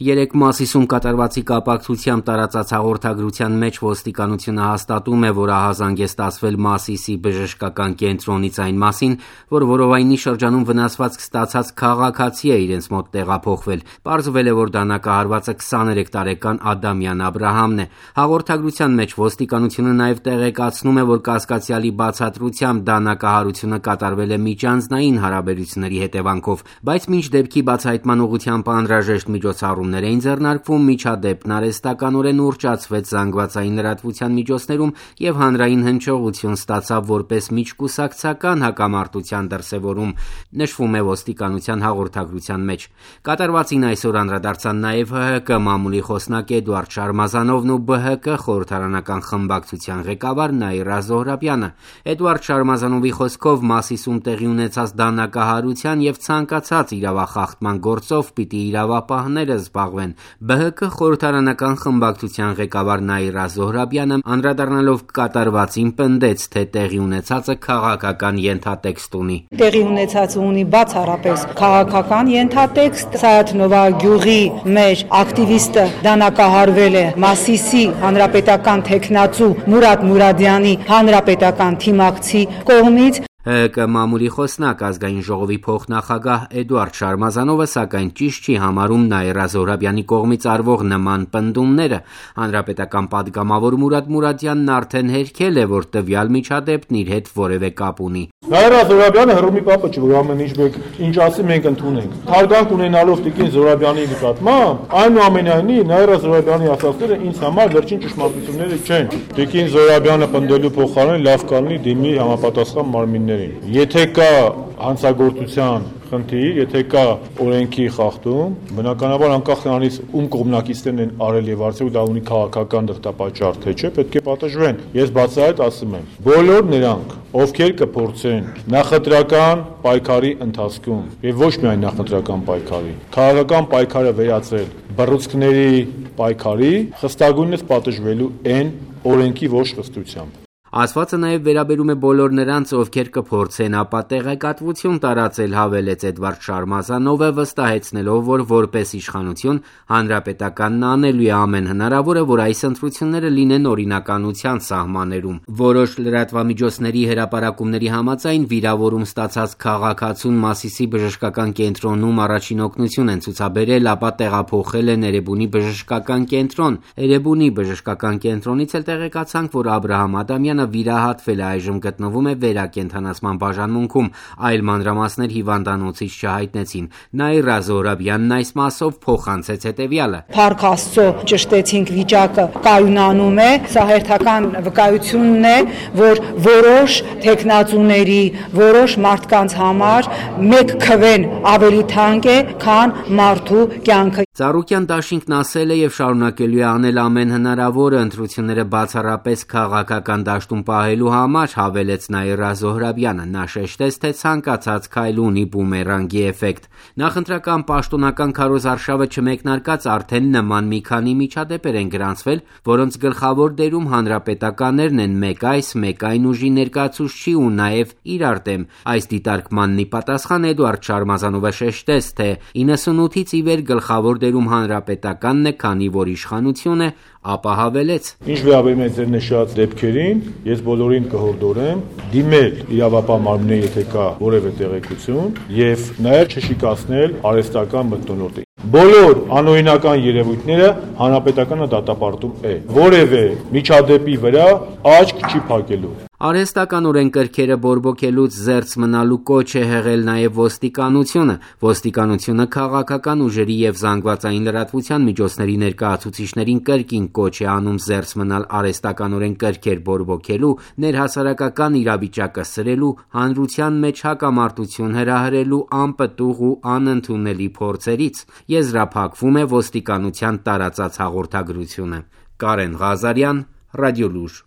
Երեկ Մասիսում կատարվածի կապակցությամբ տարածած հաղորդագրության մեջ ոստիկանությունը հաստատում է, որ ահազանգ է ստացվել Մասիսի բժշկական կենտրոնից այն մասին, որ որովայնի շրջանում վնասվածք ստացած քաղաքացի է իրենց մոտ տեղափոխվել։ Պարզվել է, որ դանակահարվածը 23 տարեկան Ադամյան Աբրահամն է։ Հաղորդագրության մեջ ոստիկանությունը նաև տեղեկացնում է, որ կասկածյալի բացատրությամբ դանակահարությունը կատարվել է միջանձնային հարաբերությունների հետևանքով, բայց մինչ դեպքի բացահայտման ուղղությամբ անհրաժեշտ միջոցառումներ էին ձեռնարկվում, միջադեպն արհեստականորեն ուռճացվեց զանգվածային լրատվության միջոցներում և հանրային հնչողություն ստացավ որպես միջկուսակցական հակամարտության դրսևորում, նշվում է ոստիկանության հաղորդագրության մեջ։ Կատարվածին այսօր անդրադարձան նաև ՀՀԿ մամուլի խոսնակ Էդուարդ Շարմազանովն ու ԲՀԿ խորհրդարանական խմբակցության ղեկավար Նաիրա Զոհրաբյանը։ Էդուարդ Շարմազանովի խոսքով Մասիսում տեղի ունեցած դանակահարության և ցանկացած իրավախախտման գործով պիտի իրավապահները զբաղվեն։ ԲՀԿ խորհրդարանական խմբակցության ղեկավար Նաիրա Զոհրաբյանը անդրադառնալով կատարվածին պնդեց, թե տեղի ունեցածը քաղաքական ենթատեքստ ունի։ Տեղի ունեցածը ունի բացառապես քաղաքական ենթատեքստ։ Սայաթ-Նովա գյուղի մեր ակտիվիստը դանակահարվել է Մասիսի հանրապետական թեկնածու Մուրադ Մուրադյանի հանրապետական թիմակցի կողմից։ ՀՀԿ մամուլի խոսնակ ազգային ժողովի փոխնախագահ Էդուարդ Շարմազանովը սակայն ճիշտ չի համարում Նաիրա Զոհրաբյանի կողմից արվող նման պնդումները։ Հանրապետական պատգամավոր Մուրադ Մուրադյանն արդեն հերքել է, որ տվյալ միջադեպն իր հետ որևէ կապ ունի։ Նաիրա Զոհրաբյանը հռոմի պապը չի, որ ամեն ինչ ասի մենք ընդունենք։ Հարգանք ունենալով տիկին Զոհրաբյանի նկատմամբ, այնուամենայնիվ Նաիրա Զոհրաբյանի ասածները ինձ համար վերջին ճշմարտությունները չեն։ Տիկին Զոհրաբյանը պնդելու փոխարեն լավ կլինի դիմի համապատասխան մարմիններին։ Եթե կա հանցագործության խնդիր, եթե կա օրենքի խախտում, բնականաբար անկախ նրանից ում կողմնակիցներն են արել եւ արդյոք դա ունի քաղաքական դրդապատճառ թե չէ, պետք է պատժվեն։ Ես բացահայտ ասում եմ, բոլոր նրանք, ովքեր կփորձեն նախընտրական պայքարի ընթացքում եւ ոչ միայն նախընտրական պայքարի, քաղաքական պայքարը վերածել բռուցքների պայքարի, խստագույնս պատժվելու են օրենքի ոչ խստությամբ։ Ասվածը նաև վերաբերում է բոլոր նրանց, ովքեր կփորձեն ապա տեղեկատվություն տարածել, հավելեց Էդվարդ Շարմազանովը, վստահեցնելով, որ որպես իշխանություն հանրապետականն անելու է ամեն հնարավորը, որ այս ընտրությունները լինեն օրինականության սահմաններում։ Որոշ լրատվամիջոցների հրապարակումների համաձայն վիրավորում ստացած քաղաքացուն Մասիսի բժշկական կենտրոնում առաջին օգնություն են ցուցաբերել, ապա տեղափոխել են Էրեբունի բժշկական կենտրոն։ Էրեբունի բժշկական կենտրոնից էլ տեղեկացանք, որ Աբրահամ Ադամյանը վիրահատվել է, այժմ գտնվում է վերակենդանացման բաժանմունքում, այլ մանրամասներ հիվանդանոցից չհայտնեցին։ Նաիրա Զոհրաբյանն այս մասով փոխանցեց հետևյալը. Փառք Աստծո, ճշտեցինք վիճակը կայունանում է, սա հերթական վկայությունն է, որ որոշ թեկնածուների, որոշ մարդկանց համար մեկ քվեն ավելի թանկ է, քան մարդու կյանքը։ Ծառուկյան դաշինքն ասել է եւ շարունակելու է անել ամեն հնարավորը ընտրությունները բացառապես քաղաքական դաշտում պահելու համար, հավելեց Նաիրա Զոհրաբյանը։ Նա շեշտեց, թե ցանկացած քայլ ունի բումերանգի էֆեկտ։ Նախընտրական պաշտոնական քարոզարշավը չմեկնարկած արդեն նման մի քանի միջադեպեր են գրանցվել, որոնց գլխավոր դերում հանրապետականներն են, մեկ այս, մեկ այն ուժի ներկայացուցչի ու նաև իրար դեմ։ Այս դիտարկմանն ի պատասխան Էդուարդ Շարմազանովը շեշտեց, թե 98-ից ի վեր գլխավոր դերում հանրապետականն է, քանի որ իշխանություն է, ապա հավելեց. Ինչ վերաբերում է ձեր նշած դեպքերին, ես բոլորին կհորդորեմ դիմել իրավապահ մարմիններին, եթե կա որևէ տեղեկություն, եւ նաեւ չշիկացնել արհեստական մթնոլորտը։ Բոլոր անօրինական երևույթները հանրապետականը դատապարտում է։ Որևէ միջադեպի վրա աչք չի փակելու։ Արհեստականորեն կրքերը բորբոքելուց զերծ մնալու կոչ է հղել նաև ոստիկանությունը։ Ոստիկանությունը քաղաքական ուժերի եւ զանգվածային լրատվության միջոցների ներկայացուցիչներին կրկին կոչ է անում զերծ մնալ արհեստականորեն կրքեր բորբոքելու, ներհասարակական իրավիճակը սրելու, հանրության մեջ հակամարտություն հրահրելու անպտուղ ու անընդունելի փորձերից։ Եզրափակվում է ոստիկանության տարածած հաղորդագրությունը։ Կարեն Ղազարյան, Ռադիոլուր։